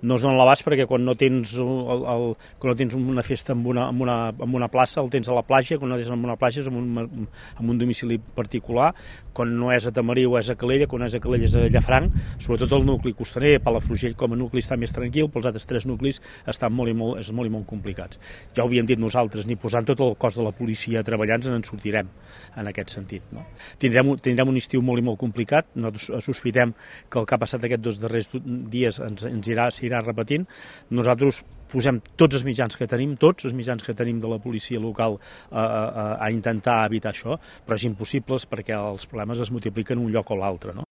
no es dona l'abast perquè quan no tens una festa en una plaça el tens a la platja, quan no tens en una platja és en un domicili particular, quan no és a Tamariu és a Calella, quan és a Calella és a Llafranc, sobretot el nucli costaner, Palafrugell com a nucli està més tranquil, però els altres 3 nuclis estan molt i molt complicats. Ja ho havíem dit nosaltres, ni posant tot el cos de la policia treballant en sortirem en aquest sentit. No? Tindrem un estiu molt i molt complicat, nosaltres sospitem que el que ha passat aquests 2 darrers dies s'irà repetint. Nosaltres posem tots els mitjans que tenim, de la policia local a intentar evitar això, però és impossible perquè els problemes es multipliquen en un lloc o l'altre. No?